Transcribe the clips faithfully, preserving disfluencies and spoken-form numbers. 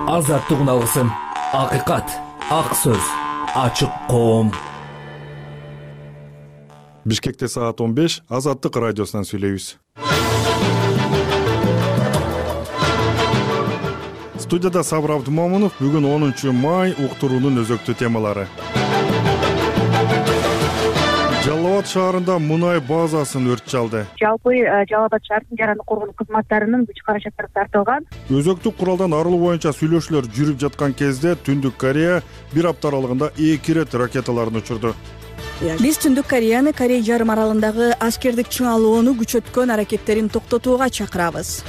Азаттык үналгысым, акыйкат, ак сөз, ачык коом. Бишкекте саат он беш, Азаттык радиосунан сүйлөйбүз. Студияда Сабыр Абдумомунов. Бүгүн онунчу май, уктуруунун өзөктүү темалары. Жалал Абад шаарында мунай базасын өрт чалды. Жалпы Жалал Абад шаардын жараны коргонуу кызматтарынын күч каражаттары тартылган. Өзөктүк куралдан арылуу боюнча сүйлөшүүлөр жүрүп жаткан кезде Түндүк Корея бир апта аралыгында эки ирет ракеталарын учурду. Биз Түндүк Кореяны Корей жарым аралындагы аскердик чыңалууну күчөткөн аракеттерин токтотууга чакырабыз.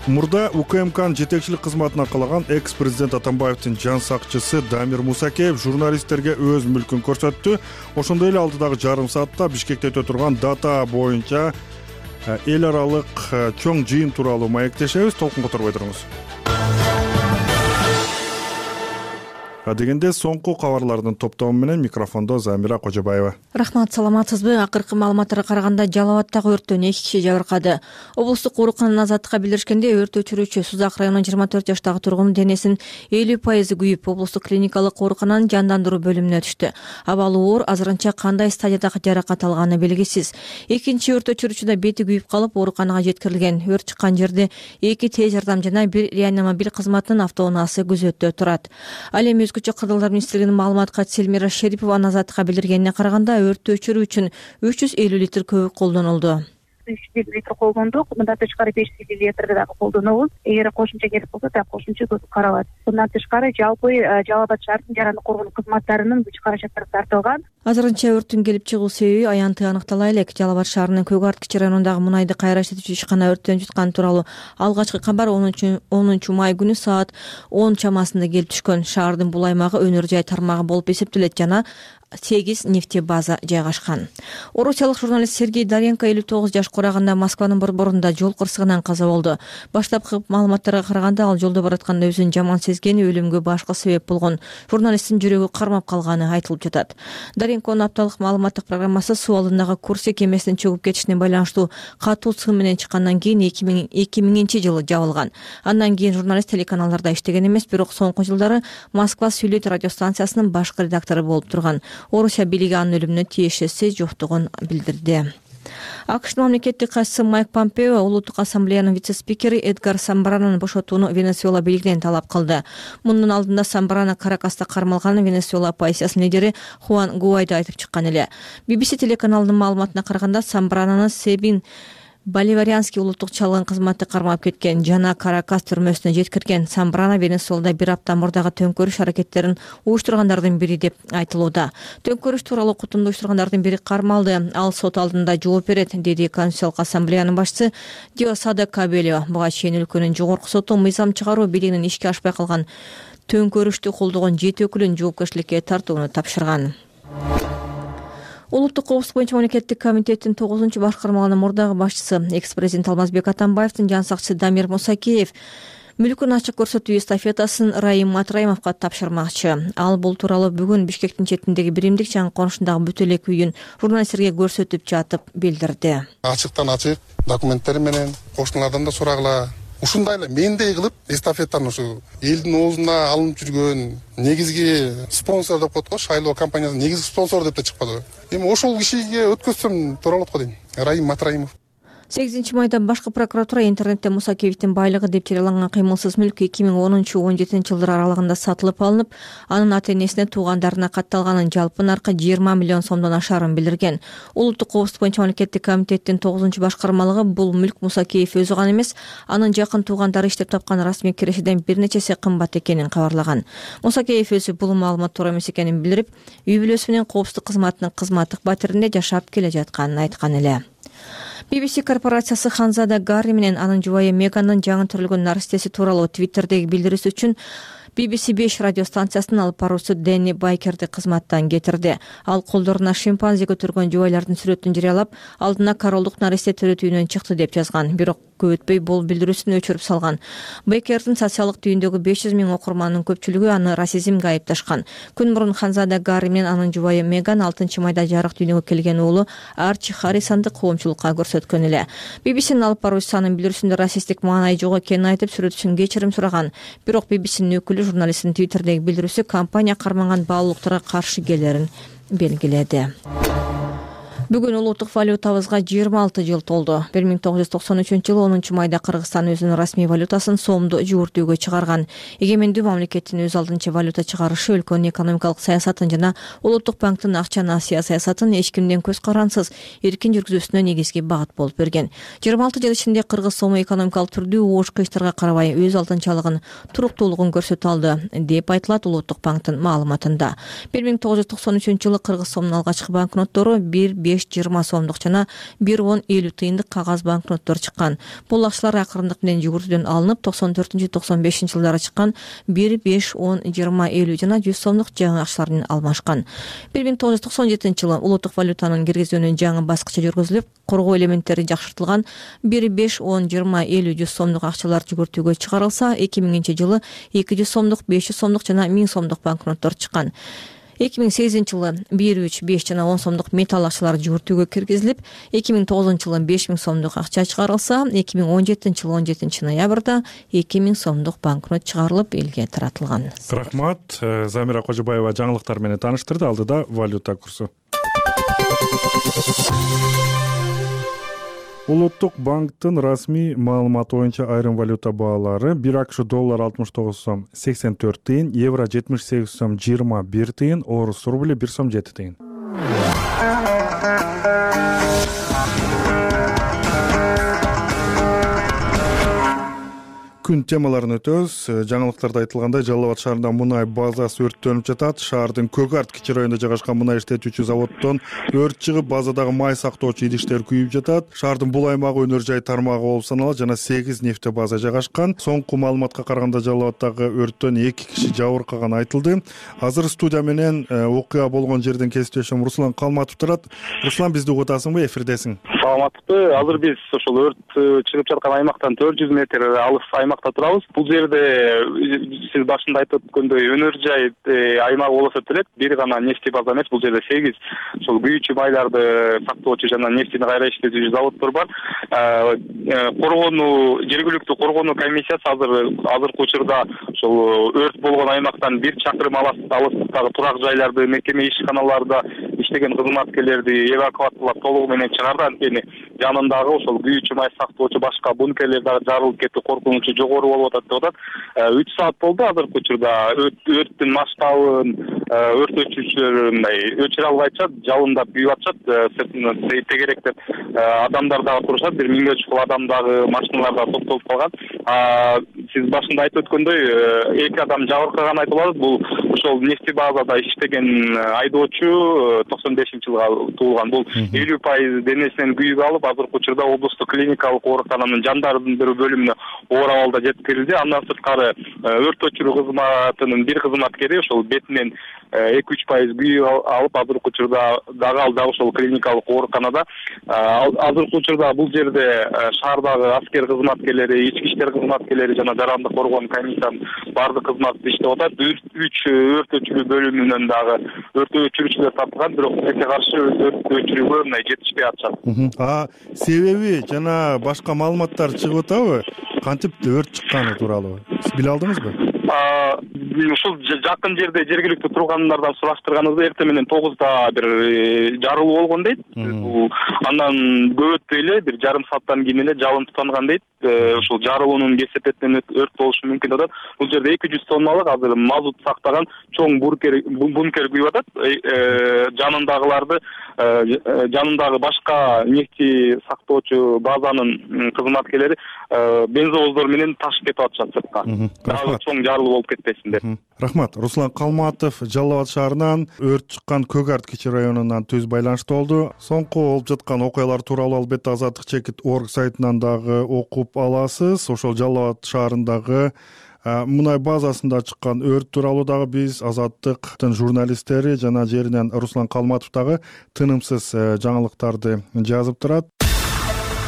Мурда УКМКнын жетекчилик кызматына калаган экс-президент Атамбаевдин жан сакчысы Дамир Мусакеев журналисттерге өз мүлкүн көрсөттү. Ошондой эле алдыдагы жарым саатта Бишкекте өтө турган дата боюнча эл аралык чоң жыйын тууралуу маектешебиз. Толкунга турбой туруңуз. Дегенде соңку кабарлардын топтому менен микрофондо Замира Кожобаева. Рахмат, саламатсызбы? Акыркы маалыматтарга караганда Жалал Абадтагы өрттөн эки киши жабыркады. Облустук оорукананын азаттыкка билдиришкенде, өрт өчүрүүчү Сузак районунун жыйырма төрт жаштагы тургуну денесинин элүү пайызы күйүп, облустук клиникалык оорукананын жандандыруу бөлүмүнө түштү. Абалы оор, азырынча кандай стадияда жаракат алганы белгисиз. Экинчи өрт өчүрүүчү да бети күйүп калып, ооруканага жеткирилген. Өрт чыккан жерде эки тез жардам жана бир реанимобиль кызматынын автоунаасы күзөттө турат. Ал эми Өзгөчө кырдалдар министрлигинин маалымат катчысы Эльмира Шерипованын азаттыкка билдиргенине караганда, өрттү өчүрүү үчүн үч жүз элүү литр көбүк колдонулду. үч жүз элүү литр колдондук. Мындан тышкары беш жүз элүү литр дагы колдонобуз. Эгер кошумча керек болсо, так кошумча көбүк каралат. Мындан тышкары жалпы Жалал Абад шаардын жараны коргонуу кызматтарынын күч каражаттары тартылган. Азырынча өрттүн келип чыгуу себеби аянтты аныктала элек. Жалал Абад шаарынын Көк Арт кичи районундагы мунайды кайра иштетүүчү ишкана өрттөн жуткан тууралуу алгачкы кабар онунчу май күнү саат он чамасында келип түшкөн. Шаардын бул аймагы өнөр жай тармагы болуп эсептелет жана сегиз нефтебаза жайгашкан. Орусиялык журналист Сергей Даренко элүү тогуз жаш кураганда Москванын борборунда жол кырсыгынан каза болду. Баштапкы маалыматтарга караганда, ал жолдо баратканда өзүн жаман сезген, өлүмгө башкы себеп болгон. Журналисттин жүрөгү кармап калганы айтылып жатат. Даренконун апталык маалыматтык программасы суу алдындагы Курск кемесинин чөгүп кетишине байланыштуу катуу сын менен чыккандан кийин эки миңинчи жылы жабылган. Андан кийин журналист телеканалдарда иштеген эмес, бирок соңку жылдары Москва сүйлөйт радиостанциясынын башкы редактору болуп турган. Орусия бийлиги анын өлүмүнө тиешеси жоктугун билдирди. АКШнын мамлекеттик катчысы Майк Помпео Улуттук ассамблеянын вице-спикери Эдгар Самбрананы бошотууну Венесуэла бийлигинен талап кылды. Мунун алдында Самбрана Каракаста кармалган. Венесуэла оппозициясынын лидери Хуан Гуайдо айтып чыккан эле. би би си телеканалынын маалыматына караганда, Самбрананы Себин Боливарианский улуттук чалгын кызматы кармап кеткен жана Каракас түрмөсүнө жеткирген. Самбрана Венесуэлада бир апта мурдагы төңкөрүш аракеттерин уюштургандардын бири деп айтылууда. Төңкөрүш тууралуу кутумду уюштургандардын бири кармалды. Ал сот алдында жооп берет, деди Конституциялык ассамблеянын башчысы Диосадо Кабелио. Буга чейин өлкөнүн жогорку соту мыйзам чыгаруу бийлигинин ишке ашпай калган төңкөрүштү колдогон жети өкүлүн жоопкерчиликке тартууну тапшырган. Улуттук коопсуздук боюнча мамлекеттик комитеттин тогузунчу башкармалыгынын мурдагы башчысы, экс-президент Алмазбек Атамбаевдин жан сакчысы Дамир Мусакеев мүлкүн ачык көрсөтүү эстафетасын Раим Матраимовго тапшырмакчы. Ал бул тууралуу бүгүн Бишкектин четиндеги биримдик жана конушундагы бүт элек үйүн журналисттерге көрсөтүп жатып билдирди. Ачыктан ачык документтери менен кошуналардан да сурагыла. Ушундай эле мендей кылып эстафетаны ушу элдин оозуна алынып жүргөн негизги спонсор деп коет го, шайлоо компаниясынын негизги спонсору деп да чыкпады. Эми ошол кишиге өткөзсөм туура болот го дейм. Раим Матраимов. сегизинчи майда башкы прокуратура интернетте Мусакеевдин байлыгы деп жарыяланган кыймылсыз мүлк эки миң онунчу он жетинчи жылдар аралыгында сатылып алынып, анын ата-энесине, туугандарына катталганын, жалпы наркы жыйырма миллион сомдон ашарын билдирген. Улуттук коопсуздук боюнча мамлекеттик комитеттин тогузунчу башкармалыгы бул мүлк Мусакеев өзү гана эмес, анын жакын туугандары иштеп тапкан расмий кирешеден бир нечеси кымбат экенин кабарлаган. Мусакеев өзү бул маалымат туура эмес экенин билдирип, үй бүлөсү менен коопсуздук кызматынын кызматтык батиринде жашап келе жатканын айткан эле. би би си корпорациясы Ханзада Гарри менен анын жубайы Меганын жаңы төрөлгөн наристеси тууралуу Твиттердеги билдирүүсү үчүн би би си беш радио станциясынын алып баруучусу Дэнни Байкерди кызматтан кетирди. Ал колдоруна шимпанзе көтөргөн жубайлардын сүрөтүн жарыялап, алдына королдук наристе төрөтүүнөн чыкты деп жазган. Бирок көп өтпөй бул билдирүүсүн өчүрүп салган. Байкердин социалдык түйүндөгү беш жүз миң окурманынын көпчүлүгү аны расизмге айыпташкан. Күн мурун Ханзада Гарри менен анын жубайы Меган алтынчы майда жарык дүйнөгө келген уулу Арчи Харрисонду коомчулукка көрсөткөн эле. би би синин алып баруучусу анын билдирүүсүндө расисттик маанай жок экенин айтып, сүрөтчүсүн кечирим сураган. Бирок би би синин өкүлү журналисттин Твиттердеги билдирүүсү компания карманган баалуулуктарга каршы келерин белгиледи. Бүгүн улуттук валютабызга жыйырма алты жыл толду. бир миң тогуз жүз токсон үчүнчү жылы онунчу майда Кыргызстан өзүнүн расмий валютасын сомду жүгүртүүгө чыгарган. Эгемендүү мамлекеттин өз алдынча валюта чыгарышы өлкөнүн экономикалык саясатын жана улуттук банктын акча насыя саясатын эч кимден көз карансыз эркин жүргүзүүсүнө негизги багыт болуп берген. жыйырма алты жыл ичинде кыргыз сому экономикалык түрдүү оош кыйыштарга карабай өз алдынчалыгын, туруктуулугун көрсөтө алды деп айтылат улуттук банктын маалыматында. бир миң тогуз жүз токсон үчүнчү жылы кыргыз сомунун алгачкы банкноттору бир беш жыйырма сомдук жана бир он элүү тыйындык кагаз банкноттор чыккан. Бул акчалар акырындык менен жүгүртүүдөн алынып, токсон төртүнчү токсон бешинчи жылдары чыккан бир беш он жыйырма элүү жана жүз сомдук жаңы акчалар менен алмашкан. бир миң тогуз жүз токсон жетинчи жылы улуттук валютанын киргизүүнүн жаңы баскычы жүргүзүлүп, коргоо элементтери жакшыртылган бир беш он жыйырма элүү жүз сомдук акчалар жүгүртүүгө чыгарылса, эки миңинчи жылы эки жүз сомдук, беш жүз сомдук жана миң сомдук банкноттор чыккан. эки миң сегизинчи жылы бир үч беш жана он сомдук металл акчалар жүгүртүүгө киргизилип, эки миң тогузунчу жылы беш миң сомдук акча чыгарылса, эки миң он жетинчи жылы он жетинчи ноябрда эки миң сомдук банкнот чыгарылып, элге таратылган. Рахмат. Замира Кожобаева жаңылыктар менен тааныштырды. Алдыда валюта курсу. Улуттук банктын расмий маалыматы боюнча айрым валюта баалары: бир АКШ доллар алтымыш тогуз сом сексен төрт тыйын, евро жетимиш сегиз сом жыйырма бир тыйын, орус рубли бир сом жети тыйын. Күн темаларын өтөбүз. Жаңылыктарда айтылгандай, Жалал Абад шаарында мунай базасы өрттөнүп жатат. Шаардын Көк Арт кичи районунда жайгашкан мунай иштетүүчү заводдон өрт чыгып, базадагы май сактоочу идиштер күйүп жатат. Шаардын бул аймагы өнөр жай тармагы болуп саналат жана сегиз нефте база жайгашкан. Соңку маалыматка караганда Жалал Абаддагы өрттөн эки киши жабыркаганы айтылды. Азыр студия менен окуя болгон жерден кесиптешим Руслан Калматов турат. Руслан, бизди угуп атасыңбы, эфирдесиң? Саламатсызбы. Азыр биз ошол өрт чыгып жаткан аймактан төрт жүз метр алыс аймакта турабыз. Бул жерде сиз башында айтып өткөндөй өнөр жай аймак болсо делет, бир гана нефти база эмес, бул жерде сегиз ошол күйүүчү майларды сактоочу жана нефтини кайра иштетүүчү заводдор бар. Коргонуу жергиликтүү коргонуу комиссиясы азыр азыркы учурда ошол өрт болгон аймактан бир чакырым алыстыктагы турак жайларды, мекеме ишканаларда иштеген кызматкерлерди эвакуациялап толугу менен чыгарды. Анткени жанындагы ошол күйүүчү май сактоочу башка бункерлер дагы жарылып кетүү коркунучу жогору болуп атат деп атат. үч саат болду азыркы учурда өрттүн масштабын өрт өчүрүүчүлөр мындай өчүрө албайчат, жалындап күйүп атышат. Тегеректеп адамдар дагы турушат, бир миңге чукул адам дагы, машиналар дагы токтолуп калган. Сиз башында айтып өткөндөй эки адам жабыркаганы айтылып атат. Бул ошол нефти базада иштеген айдоочу токсон бешинчи жылга туулган. Бул элүү пайыз денесинен күйүк алып, азыркы учурда облустук клиникалык оорукананын жандандыруу бөлүмүнө оор абалда жеткирилди. Андан сырткары өрт өчүрүү кызматынын бир кызматкери ошол бетинен эки үч пайыз күйүк алып, азыркы учурда дагы ал дагы ошол клиникалык ооруканада. Азыркы учурда бул жерде шаардагы аскер кызматкерлери, ички иштер кызматкерлери жана жарандык коргоон комиссиянын баардык кызматы иштеп атат. үч өрт өчүрүү бөлүмүнөн дагы өрт өчүрүүчүлөр тапылган, бирок эке каршы өрт өчүрүүгө мындай жетишпей атышат. А себеби жана башка маалыматтар чыгып атабы? Кантип өрт чыкканы тууралуу сиз биле алдыңызбы? Ушул жакын жерде жергиликтүү тургандардан сураштырганыбызда эртең менен тогузда бир жарылуу болгон дейт. Андан көп өтпөй эле бир жарым сааттан кийин эле жалын тутанган дейт. Ушул жарылуунун кесепетинен өрт болушу мүмкүн деп атат. Бул жерде эки жүз тонналык азыр мазут сактаган чоң бункер бункер күйүп атат. Жанындагыларды жанындагы башка нефти сактоочу базанын кызматкерлери бензовоздор менен ташып кетип атышат сыртка. Дагы чоң зарылуу болуп кетпесиндер. Рахмат. Руслан Калматов Жалал абад шаарынан өрт чыккан Көк Арт кичи районунан түз байланышта болду. Соңку болуп жаткан окуялар тууралуу албетте азаттык чекит точка орг сайтынан дагы окуп аласыз. Ошол Жалал абад шаарындагы мунай базасында чыккан өрт тууралуу дагы биз Азаттыктын журналисттери жана жеринен Руслан Калматов дагы тынымсыз жаңылыктарды жазып турат.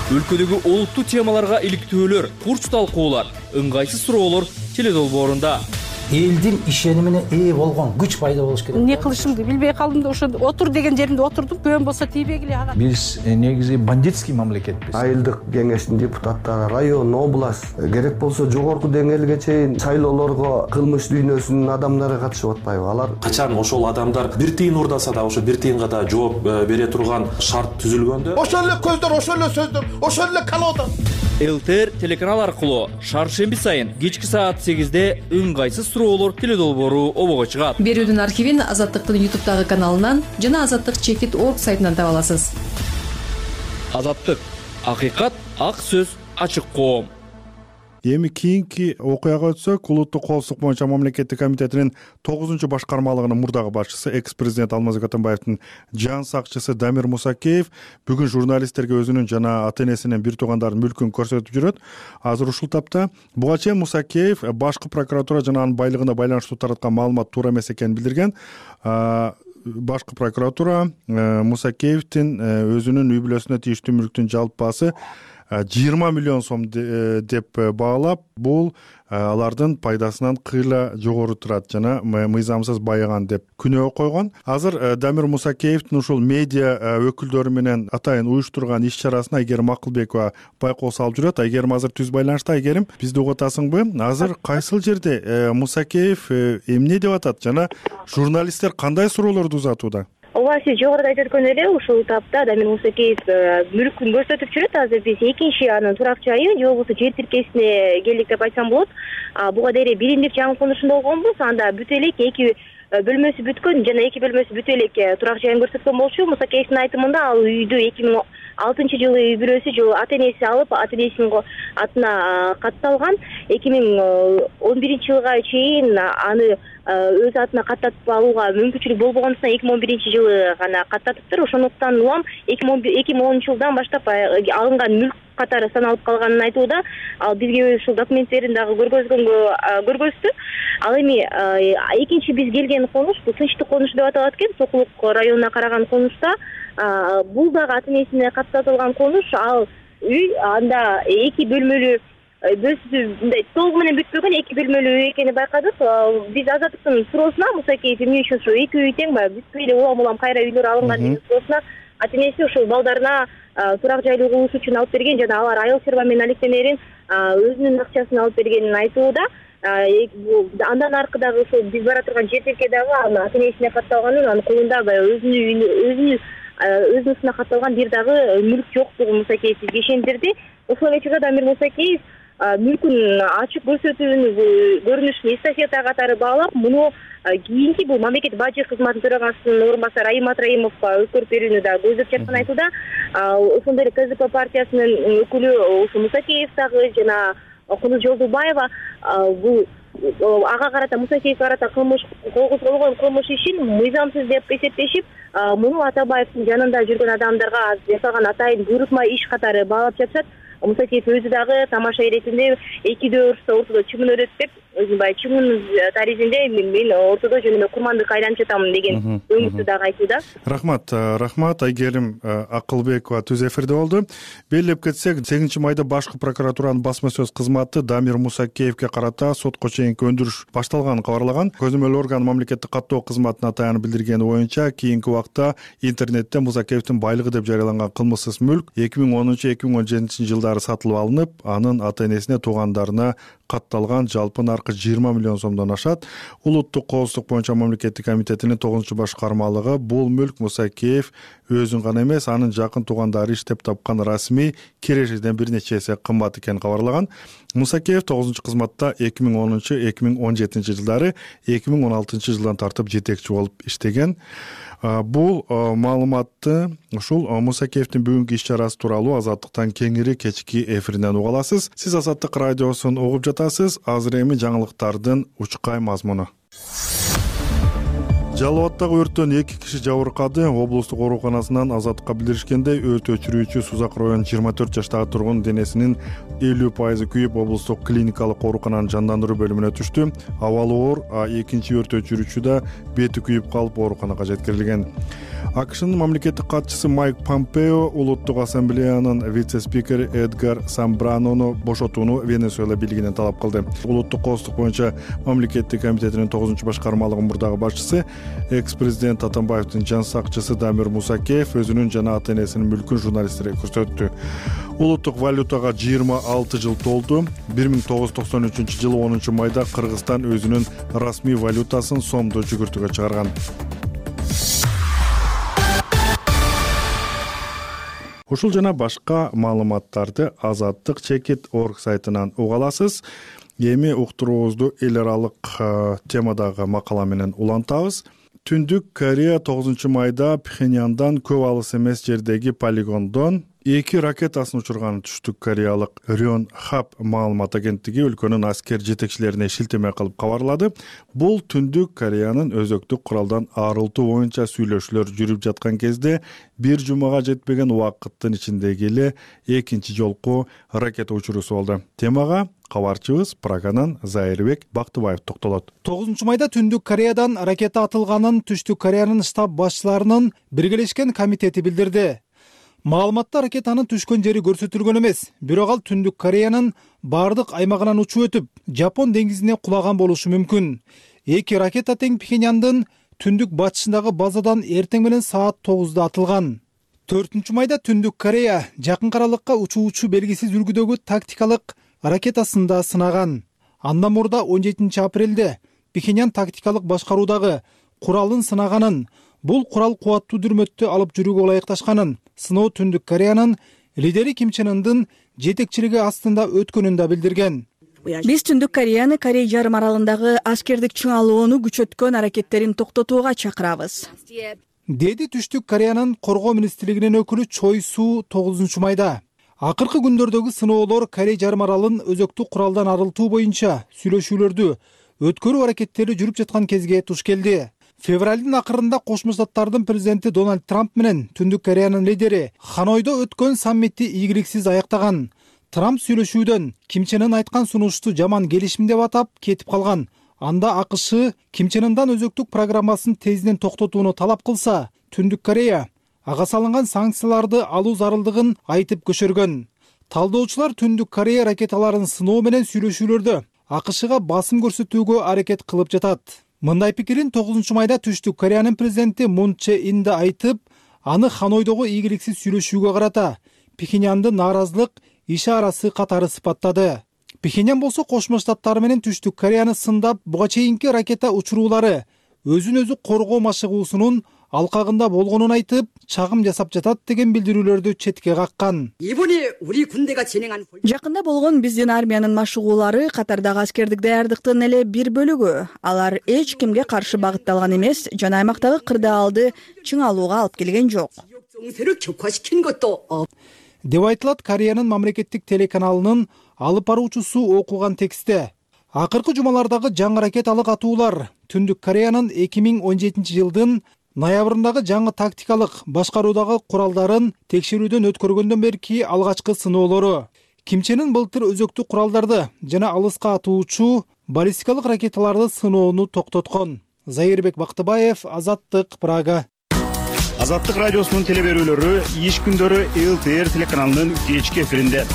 Өлкөдөгү олуттуу темаларга иликтөөлөр, курч талкуулар, ыңгайсыз суроолор теле долбоорунда. Элдин ишенимине ээ болгон күч пайда болуш керек. Эмне кылышымды билбей калдым да ошо отур деген жеримде отурдум. Көбөн болсо тийбегиле ага. Биз негизи бандитский мамлекетпиз. Айылдык кеңештин депутаттары, район, область, керек болсо жогорку деңгээлге чейин шайлоолорго кылмыш дүйнөсүнүн адамдары катышып атпайбы? Алар качан ошол адамдар бир тыйын урдаса да ошо бир тыйынга да жооп бере турган шарт түзүлгөндө ошол эле көздөр, ошол эле сөздөр, ошол эле колода. ЛТР телеканал аркылуу шаршемби сайын кечки саат сегизде ыңгайсыз суроолор теле долбоору обого чыгат. Берүүдүн архивин Азаттыктын ютубтагы каналынан жана азаттык чекит точка орг сайтынан таба аласыз. Азаттык, акыйкат, ак сөз, ачык коом. Эми кийинки окуяга өтсөк, улуттук коопсуздук боюнча мамлекеттик комитетинин тогузунчу башкармалыгынын мурдагы башчысы, экс-президент Алмазбек Атамбаевдин жан сакчысы Дамир Мусакеев бүгүн журналисттерге өзүнүн жана ата энесинин бир туугандарынын мүлкүн көрсөтүп жүрөт. Азыр ушул тапта буга чейин Мусакеев башкы прокуратура жана анын байлыгына байланыштуу тараткан маалымат туура эмес экенин билдирген. Башкы прокуратура Мусакеевдин өзүнүн үй бүлөсүнө тийиштүү мүлктүн жалпы баасы жыйырма миллион сом деп баалап, бул алардын пайдасынан кыйла жогору турат жана мыйзамсыз байыган деп күнөө койгон. Азыр Дамир Мусакеевдин ушул медиа өкүлдөрү менен атайын уюштурган иш чарасына Айгерим Акылбекова байкоо салып жүрөт. Айгерим азыр түз байланышта. Айгерим, бизди угутасыңбы? Азыр кайсыл жерде Мусакеев эмне деп атат жана журналисттер кандай суроолорду узатууда? Ооба, сиз жогоруда айтып өткөн эле ушул тапта Дамир Мусакеев мүлкүн көрсөтүп жүрөт. Азыр биз экинчи анын турак жайы же болбосо жер тиркесине келдик деп айтсам болот. Буга дейре биримдик жаңы конушунда болгонбуз. Анда бүт элек эки бөлмөсү бүткөн жана эки бөлмөсү бүт элек турак жайын көрсөткөн болчу. Мусакеевдин айтымында ал үйдү эки миң алтынчы жылы үй бүлөсү же ата энеси алып, ата энесинин атына катталган. эки миң он биринчи жылга чейин аны өз атына каттатып алууга мүмкүнчүлүк болбогондуктан эки миң он биринчи жылы гана каттатыптыр. Ошондуктан улам эки миң онунчу жылдан баштап алынган мүлк катары саналып калганын айтууда. Ал бизге ушул документтерин дагы көргөзгөнгө көргөздү. Ал эми экинчи биз келген конуш бул Тынчтык конушу деп аталат экен. Сокулук районуна караган конушта бул дагы ата энесине каттатылган конуш. Ал үй анда эки бөлмөлүү мындай толугу менен бүтпөгөн эки бөлмөлүү үй экенин байкадык. Биз Азаттыктын суроосуна Мусакеев эмне үчүн ушу эки үй тең баягы бүтпөй эле улам улам кайра үйлөр алынган деген суроосуна ата энеси ушул балдарына турак жайлуу кылыш үчүн алып берген жана алар айыл чарба менен алектенерин өзүнүн акчасын алып бергенин айтууда. Андан аркыдагы ушул биз бара турган жер тилке дагы аны ата энесине катталганын, анын колунда баягы өзүнүн өзүнүн өзүнүн катталган бир дагы мүлк жоктугун Мусакеев бизге ишендирди. Ошол эле учурда Дамир Мусакеев мүлкүн ачык көрсөтүүнүн көрүнүшүн эстафета катары баалап, муну кийинки бул мамлекеттик бажы кызматынын төрагасынын орун басары Аймат Раимовго өткөрүп берүүнү да көздөп жатканын айтууда. Ошондой эле КЗП партиясынын өкүлү ушу Мусакеев дагы жана Кунуз Жолдубаева бул ага карата Мусакеевге карата кылмыш козголгон кылмыш ишин мыйзамсыз деп эсептешип, муну Атабаевдин жанында жүргөн адамдарга жасалган атайын буйрутма иш катары баалап жатышат. Мусакеев өзү дагы тамаша иретинде экидөө урушса ортодо чымын өрөт деп, өзү баягы чымын таризинде мен ортодо жөн эле курмандыкка айланып жатам деген өңүттү дагы айтууда. Рахмат, рахмат. Айгерим Акылбекова түз эфирде болду. Белгилеп кетсек, сегизинчи майда башкы прокуратуранын басма сөз кызматы Дамир Мусакеевге карата сотко чейинки өндүрүш башталганын кабарлаган. Көзөмөл орган мамлекеттик каттоо кызматына таянып билдиргени боюнча, кийинки убакта интернетте Мусакеевдин байлыгы деп жарыяланган кылмыссыз мүлк эки миң онунчу эки миң он жетинчи жылдары сатылып алынып, анын ата энесине, туугандарына катталган жалпы наркы жыйырма миллион сомдон ашат. Улуттук коопсуздук боюнча мамлекеттик комитетинин тогузунчу башкармалыгы бул мүлк Мусакеев өзүн гана эмес, анын жакын туугандары иштеп тапкан расмий керешеден бир нече эсе кымбат экенин кабарлаган. Мусакеев тогузунчу кызматта эки миң онунчу эки миң он жетинчи жылдары эки миң он алтынчы жылдан тартып жетекчи болуп иштеген. Бул маалыматты ушул Мусакеевдин бүгүнкү иш чарасы тууралуу Азаттыктан кеңири кечки эфиринен уга аласыз. Сиз Азаттык радиосун угуп жатасыз. жатасыз. Азыр эми жаңылыктардын учкай мазмуну. Жалал Абаддагы өрттөн эки киши жабыркады. Облустук ооруканасынан азаттыкка билдиришкендей, өрт өчүрүүчү Сузак районунун жыйырма төрт жаштагы тургун денесинин элүү пайызы күйүп, облустук клиникалык оорукананын жандандыруу бөлүмүнө түштү. Абалы оор, а экинчи өрт өчүрүүчү да бети күйүп калып ооруканага жеткирилген. АКШнын мамлекеттик катчысы Майк Помпео улуттук ассамблеянын вице-спикери Эдгар Самбранону бошотууну Венесуэла бийлигинен талап кылды. Улуттук коопсуздук боюнча мамлекеттик комитетинин тогузунчу башкармалыгынын мурдагы башчысы, экс-президент Атамбаевдин жан сакчысы Дамир Мусакеев өзүнүн жана ата-энесинин мүлкүн журналисттерге көрсөттү. Улуттук валютага жыйырма алты жыл толду. бир миң тогуз жүз токсон үчүнчү жылы онунчу майда Кыргызстан өзүнүн расмий валютасын сомдо жүгүртүүгө чыгарган. Ушул жана башка маалыматтарды азаттык чекит точка орг сайтынан уга аласыз. Эми уктуруубузду эл аралык темадагы макала менен улантабыз. Түндүк Корея тогузунчу майда Пхеньяндан көп алыс эмес жердеги полигондон эки ракетасын учурган түштүк кореялык Рёнхап маалымат агенттиги өлкөнүн аскер жетекчилерине шилтеме кылып кабарлады. Бул Түндүк Кореянын өзөктүк куралдан арылтуу боюнча сүйлөшүүлөр жүрүп жаткан кезде бир жумага жетпеген убакыттын ичиндеги эле экинчи жолку ракета учуруусу болду. Темага кабарчыбыз Праганан Зайырбек Бактыбаев токтолот. тогузунчу майда Түндүк Кореядан ракета атылганын Түштүк Кореянын штаб башчыларынын биргелешкен комитети билдирди. Маалыматта ракетанын түшкөн жери көрсөтүлгөн эмес, бирок ал Түндүк Кореянын бардык аймагынан учуп өтүп, Жапон деңизине кулаган болушу мүмкүн. Эки ракета тең Пхеньяндын түндүк батышындагы базадан эртең менен саат тогузда атылган. төртүнчү майда Түндүк Корея жакын аралыкка учуучу белгисиз үлгүдөгү тактикалык ракетасын да сынаган. Андан мурда он жетинчи апрелде Пхеньян тактикалык башкаруудагы куралын сынаганын, бул курал кубаттуу дүрмөттү алып жүрүүгө ылайыкташканын, сыноо Түндүк Кореянын лидери Ким Чен Ындын жетекчилиги астында өткөнүн да билдирген. Биз Түндүк Кореяны Корей жарым аралындагы аскердик чыңалууну күчөткөн аракеттерин токтотууга чакырабыз, деди Түштүк Кореянын коргоо министрлигинин өкүлү Чой Су тогузунчу майда. Акыркы күндөрдөгү сыноолор Корей жарым аралын өзөктүк куралдан арылтуу боюнча сүйлөшүүлөрдү өткөрүү аракеттери жүрүп жаткан кезге туш келди. Февралдын акырында Кошмо Штаттардын президенти Дональд Трамп менен Түндүк Кореянын лидери Ханойдо өткөн саммитти ийгиликсиз аяктаган. Трамп сүйлөшүүдөн Ким Чен Ын айткан сунушту жаман келишим деп атап кетип калган. Анда АКШ Ким Чен Ындан өзөктүк программасын тезден токтотууну талап кылса, Түндүк Корея ага салынган санкцияларды алуу зарылдыгын айтып көчөргөн. Талдоочулар Түндүк Корея ракеталарын сыноо менен сүйлөшүүлөрдө АКШга басым көрсөтүүгө аракет кылып жатат. Мындай пикирин тогузунчу майда Түштүк Кореянын президенти Мун Чже Ин да айтып, аны Ханойдогу ийгиликсиз сүйлөшүүгө карата Пхеньяндын нааразылык ишарасы катары сыпаттады. Пхеньян болсо Кошмо Штаттар менен Түштүк Кореяны сындап, буга чейинки ракета учуруулары өзүн өзү коргоо машыгуусунун алкагында болгонун айтып, чагым жасап жатат деген билдирүүлөрдү четке каккан. Жакында болгон биздин армиянын машыгуулары катардагы аскердик даярдыктын эле бир бөлүгү. Алар эч кимге каршы багытталган эмес жана аймактагы кырдаалды чыңалууга алып келген жок, деп айтылат Кореянын мамлекеттик телеканалынын алып баруучусу окуган текстте. Акыркы жумалардагы жаңы ракеталык атуулар Түндүк Кореянын эки миң он жетинчи жылдын ноябрындагы жаңы тактикалык башкаруудагы куралдарын текшерүүдөн өткөргөндөн берки алгачкы сыноолору. Ким Чен Ын былтыр өзөктүк куралдарды жана алыска атуучу баллистикалык ракеталарды сыноону токтоткон. Зайырбек Бактыбаев, Азаттык, Прага. Азаттык радиосунун телеберүүлөрү иш күндөрү эл тэ эр телеканалынын кечки эфиринде.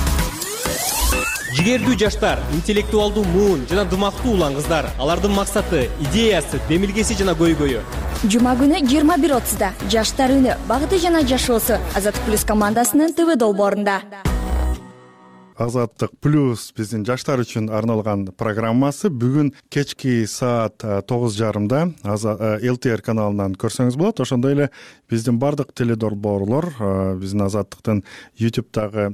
Жигердүү жаштар, интеллектуалдуу муун жана дымактуу улан кыздар. Алардын максаты, идеясы, демилгеси жана көйгөйү. Жума күнү жыйырма бир отузда жаштар үнү багыты жана жашоосу Азаттык плюс командасынын ТВ долбоорунда. Азаттык плюс биздин жаштар үчүн арналган программасы бүгүн кечки саат тогуз жарымда эл тэ эр каналынан көрсөңүз болот. Ошондой эле биздин бардык теледолбоорлор, биздин Азаттыктын ютубтагы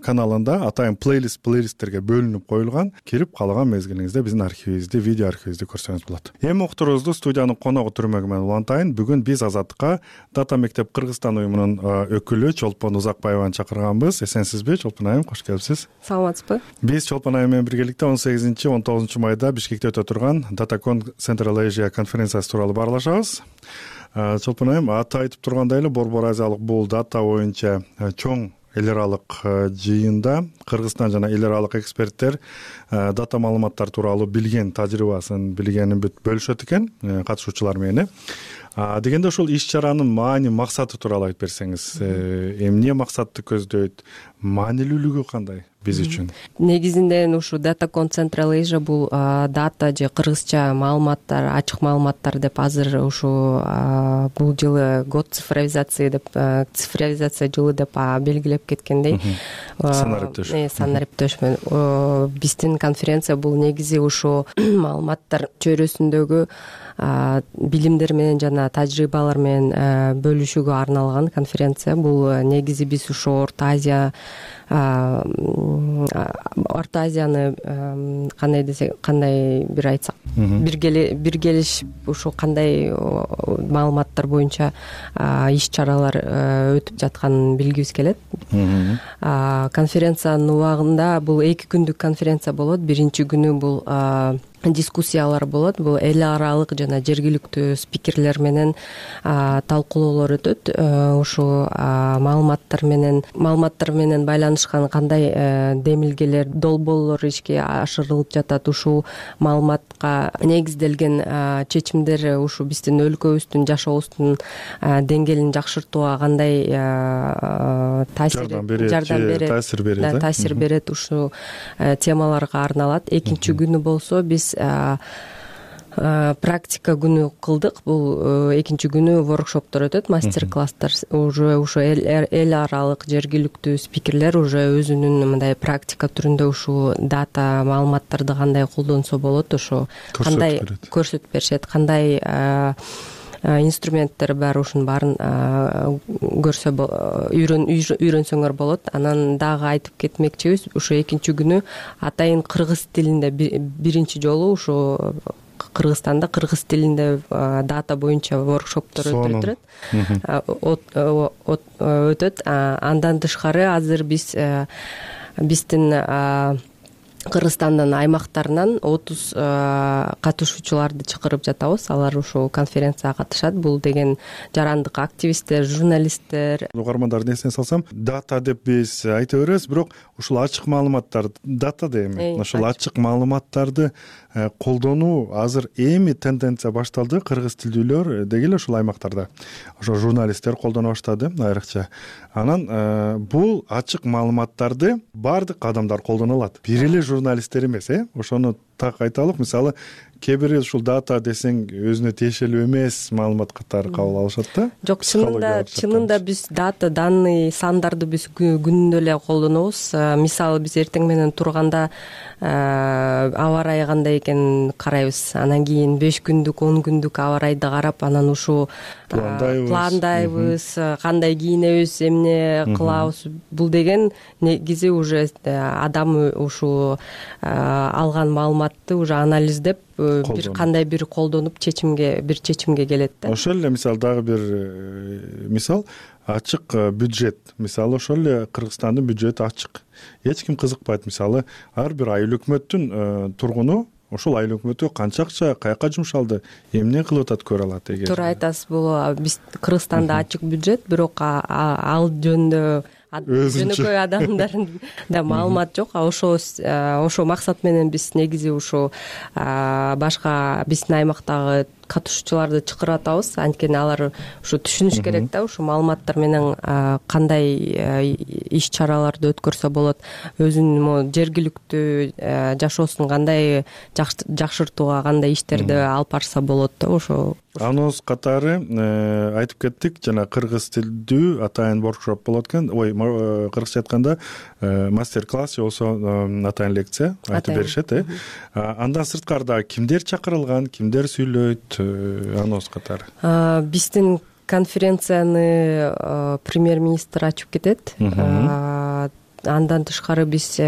каналында атайын плейлист плейлисттерге бөлүнүп коюлган. Кирип каалаган мезгилиңизде биздин архивибизди, видео архивибизди көрсөңүз болот. Эми уктуруубузду студиянын коногу түрмөгү менен улантайын. Бүгүн биз Азаттыкка Дата мектеп Кыргызстан уюмунун өкүлү Чолпон Узакбаеваны чакырганбыз. Эсенсизби, Чолпон айым? Кош келипсиз. Саламатсызбы? Биз Чолпон айым менен биргеликте он сегизинчи он тогузунчу майда Бишкекте өтө турган DataCon Central Asia конференциясы тууралуу баарлашабыз. Чолпон айым, аты айтып тургандай эле Борбор Азиялык бул дата боюнча чоң эл аралык жыйында Кыргызстан жана эл аралык эксперттер дата маалыматтар тууралуу билген тажрыйбасын, билгенин бүт бөлүшөт экен катышуучулар менен. Дегенде ушул иш-чаранын маани, максаты тууралуу айтып берсеңиз, эмне максатты көздөйт, маанилүүлүгү кандай биз үчүн? Негизинде ушу DataCon Central Asia бул дата же кыргызча маалыматтар, ачык маалыматтар деп азыр ушу бул жылы год цифровизации деп, цифровизация жылы деп белгилеп кеткендей. Санариптөш. Санариптөш менен биздин конференция бул негизи ушу маалыматтар чөйрөсүндөгү билимдер менен жана тажрыйбалар менен бөлүшүүгө арналган конференция. Бул негизи биз ушу Орто Азия Орто Азияны кандай десек, кандай бир айтсак, биргелиш ушу кандай маалыматтар боюнча иш-чаралар өтүп жатканын билгибиз келет. Конференциянын убагында бул эки күндүк конференция болот. Биринчи күнү бул дискуссиялар болот. Бул эл аралык жана жергиликтүү спикерлер менен талкуулоолор өтөт. Ушу маалыматтар менен маалыматтар менен байланышкан кандай демилгелер, долбоорлор ишке ашырылып жатат, ушу маалыматка негизделген чечимдер ушу биздин өлкөбүздүн, жашообуздун деңгээлин жакшыртууга кандай таасир жардам берет, таасир берет, таасир берет, ушу темаларга арналат. Экинчи күнү болсо биз практика күнү кылдык. Бул экинчи күнү воркшоптор өтөт, мастер-класстар. Уже ушу эл аралык жергиликтүү спикерлер уже өзүнүн мындай практика түрүндө ушу дата маалыматтарды кандай колдонсо болот, ошо кандай көрсөтүп беришет, кандай инструменттер бар, ушунун баарын көрсө үйрөнсөңөр болот. Анан дагы айтып кетмекчибиз, ушу экинчи күнү атайын кыргыз тилинде биринчи жолу ушу Кыргызстанда кыргыз тилинде дата боюнча воркшоптор өтүп турат, өтөт. Андан тышкары азыр биз биздин Кыргызстандын аймактарынан отуз катышуучуларды чакырып жатабыз. Алар ушул конференцияга катышат. Бул деген жарандык активисттер, журналисттер. Угармандардын эсине салсам, дата деп биз айта беребиз, бирок ушул ачык маалыматтар, дата да эми ушул ачык маалыматтарды колдонуу азыр эми тенденция башталды. Кыргыз тилдүүлөр деги эле ушул аймактарда ошо журналисттер колдоно баштады айрыкча. Анан бул ачык маалыматтарды баардык адамдар колдоно алат. Бир эле журналисттер эмес, э? Ошону так айталык. Мисалы, кээ бир ушул дата десең өзүнө тиешелүү эмес маалымат катары кабыл алышат да. Жок, чынында чынында биз дата, данный, сандарды биз күнүндө эле колдонобуз. Мисалы, биз эртең менен турганда аба ырайы кандай экенин карайбыз. Анан кийин беш күндүк, он күндүк аба ырайды карап, анан ушу пландайбыз, кандай кийинебиз, эмне кылабыз. Бул деген негизи уже адам ушу алган маалыматты уже анализдеп бир кандай бир колдонуп чечимге бир чечимге келет да. Ошол эле мисалы дагы бир мисал ачык бюджет. Мисалы ошол эле Кыргызстандын бюджети ачык. Эч ким кызыкпайт. Мисалы ар бир айыл өкмөттүн тургуну ошол айыл өкмөтү канча акча каяка жумшалды, эмне кылып атат көрө алат эгер. Туура айтасыз. Бул биз Кыргызстанда ачык бюджет, бирок ал жөнүндө жөнөкөй адамдардын да маалымат жок. Ошо ошо максат менен биз негизи ушу башка биздин аймактагы катышуучуларды чакырып атабыз. Анткени алар ушу түшүнүш керек да, ушу маалыматтар менен кандай иш-чараларды өткөрсө болот, өзүнүн жергиликтүү жашоосун кандай жакшыртууга кандай иштерди алып барса болот да. Ошо анонс катары айтып кеттик, жана кыргыз тилдүү атайын воркшоп болот экен. Ой, кыргызча айтканда мастер-класс же болсо атайын лекция айтып беришет, э. Андан сырткары кимдер чакырылган, кимдер сүйлөйт, анонс катары? Биздин конференцияны премьер-министр ачып кетет. андан тышкары биз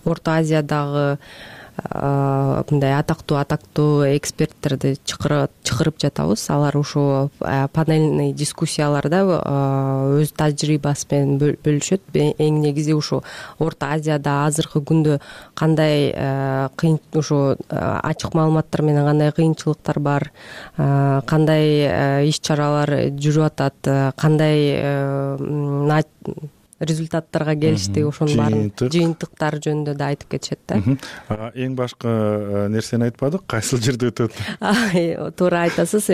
Орто Азиядагы мындай атактуу атактуу эксперттерди чакырып жатабыз. Алар ушул панельный дискуссияларда өз тажрыйбасы менен бөлүшөт. Эң негизи ушу Орто Азияда азыркы күндө кандай кыйын ушу ачык маалыматтар менен кандай кыйынчылыктар бар, кандай иш чаралар жүрүп атат, кандай результаттарга келишти, ошонун баарын жыйынтыктар жөнүндө да айтып кетишет да. Эң башкы нерсени айтпадык, кайсыл жерде өтөт? Туура айтасыз.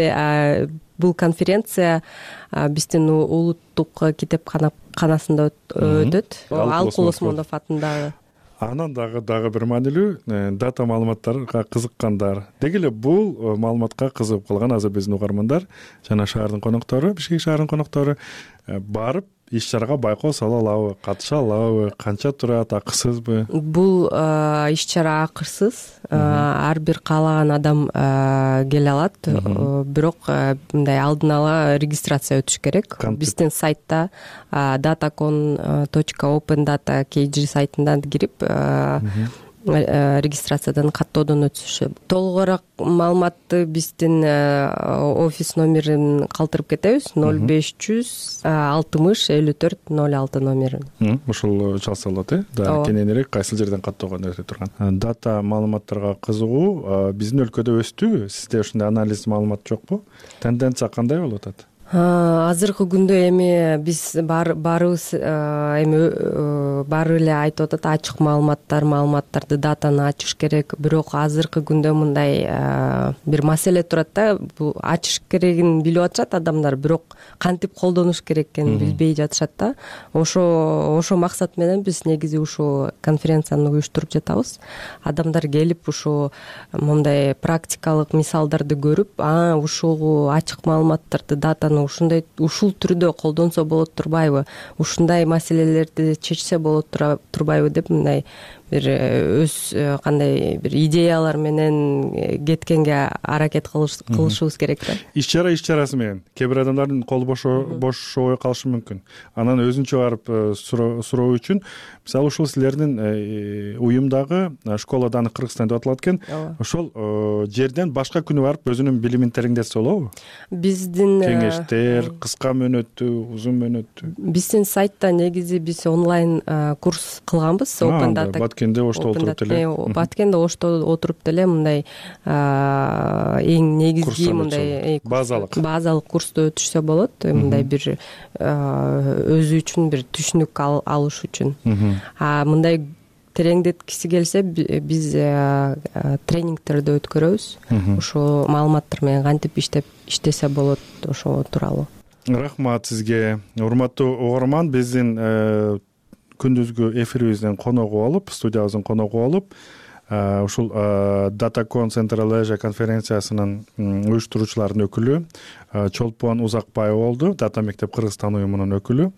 Бул конференция биздин улуттук китепканасында өтөт. Алкул Осмонов атындагы. Анан дагы дагы бир маанилүү дата маалыматтарга кызыккандар, деги эле бул маалыматка кызыгып калган азыр биздин угармандар жана шаардын коноктору, Бишкек шаарынын коноктору барып иш чарага байкоо сала алабы, катыша алабы, канча турат, акысызбы? Бул иш чара акысыз. Ар бир каалаган адам келе алат, бирок мындай алдын ала регистрация өтүш керек. Биздин сайтта datacon точка open data kg сайтынан кирип регистрациядан каттоодон өтүшүп, толугураак маалыматты биздин офис номерин калтырып кетебиз. ноль беш жүз алтымыш элүү төрт ноль алты номерин. Ушул чалса болот, э? Да, кененирээк кайсыл жерден каттоого өтө турган. Дата маалыматтарга кызыгуу биздин өлкөдө өстүбү? Сизде ушундай анализ маалымат жокпу? Тенденция кандай болуп атат? Азыркы күндө эми биз баарыбыз эми баары эле айтып атат, ачык маалыматтар, маалыматтарды датаны ачыш керек. Бирок азыркы күндө мындай бир маселе турат да, бул ачыш керегин билип атышат адамдар, бирок кантип колдонуш керек экенин билбей жатышат да. Ошо ошо максат менен биз негизи ушул конференцияны уюштуруп жатабыз. Адамдар келип ушу мындай практикалык мисалдарды көрүп, а ушул ачык маалыматтарды, датаны ушундай ушул түрдө колдонсо болот турбайбы, ушундай маселелерди чечсе болот турбайбы деп мындай бир өз кандай бир идеялар менен кеткенге аракет кылышыбыз керек да. Иш чара иш чарасы менен кээ бир адамдардын колу бошобой калышы мүмкүн. Анан өзүнчө барып суроо үчүн, мисалы ушул силердин уюмдагы школа Даны Кыргызстан деп аталат экен. Ошол жерден башка күнү барып өзүнүн билимин тереңдетсе болобу? Биздин кеңештер кыска мөөнөттүү, узун мөөнөттүү. Биздин сайтта негизи биз онлайн курс кылганбыз. Open Data Баткенде ошто отуруп деле. Баткенде ошто отуруп деле мындай эң негизги мындай базалык базалык курсту өтүшсө болот. Мындай бир өзү үчүн бир түшүнүк алыш үчүн. А мындай тереңдеткиси келсе биз тренингтерди өткөрөбүз. Ошо маалыматтар менен кантип иштеп иштесе болот ошо тууралуу. Рахмат сизге. Урматтуу угарман, биздин күндүзгү эфирибизден коногу болуп, студиябыздын коногу болуп, ушул datacon Central Asia конференциясынын уюштуруучуларынын өкүлү Чолпон Узакбаева болду, Дата мектеп Кыргызстан уюмунун өкүлү.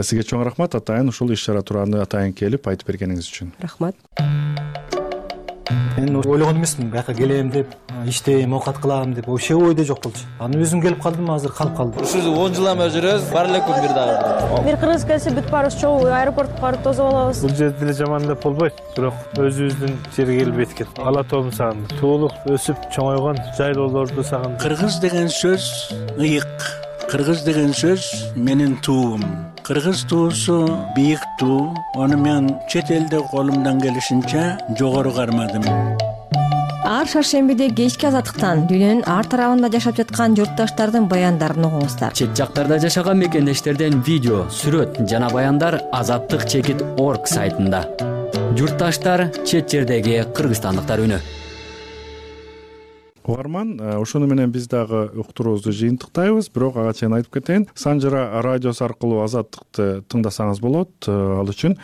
Сизге чоң рахмат атайын ушул иш чара тууралуу атайын келип айтып бергениңиз үчүн. Рахмат. Мен ойлогон эмесмин, бияка келем деп, иштейм, оокат кылам деп, вообще ойдо жок болчу. Анан өзүм келип калдым, азыр калып калдым. Ушул он жыл эме жүрөбүз, бар эле күн бир дагы. Бир кыргыз келсе бүт баарыбыз чогуу аэропортко барып тосуп алабыз. Бул жерде деле жаман деп болбойт, бирок өзүбүздүн жерге келип эткет. Ала тоом сагындым. Туулуп, өсүп, чоңойгон жайлоолорду сагындым. Кыргыз деген сөз ыйык. Кыргыз деген сөз менин туум. Кыргыз туусу бийик туу. Аны мен чет элде колумдан келишинче жогору кармадым. Ар шаршембиде кечки азаттыктан дүйнөнүн ар тарабында жашап жаткан журтташтардын баяндарын угуңуздар. Чет жактарда жашаган мекендештерден видео, сүрөт жана баяндар азаттык чекит орг сайтында. Журтташтар, чет жердеги кыргызстандыктар үнү. Угарман, ошону менен биз дагы уктуруубузду жыйынтыктайбыз, бирок ага чейин айтып кетейин. Санжара радиосу аркылуу азаттыкты тыңдасаңыз болот. Ал үчүн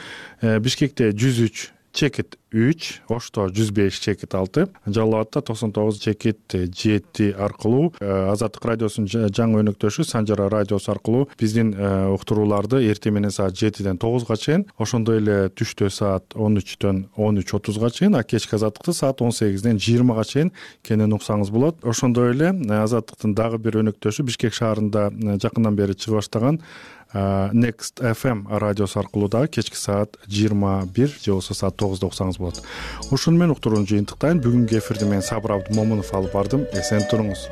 Бишкекте жүз үч чекит үч, Ошто жүз беш чекит алты, Жалал Абадта токсон тогуз чекит жети аркылуу Азаттык радиосунун жаңы өнөктөшү Санжара радиосу аркылуу биздин уктурууларды эртең менен саат жетиден тогузга чейин, ошондой эле түштө саат он үчтөн он үч отузга чейин, а кечки азаттыкты саат он сегизден жыйырмага чейин кенен уксаңыз болот. Ошондой эле азаттыктын дагы бир өнөктөшү Бишкек шаарында жакындан бери чыга баштаган Next эф эм радиосу аркылуу дагы кечки саат жыйырма бир же болбосо саат тогузда уксаңыз болот. Ошону менен уктурууну жыйынтыктайын. Бүгүнкү эфирди мен Сабыр Абдымомунов алып бардым. Эсен туруңуз.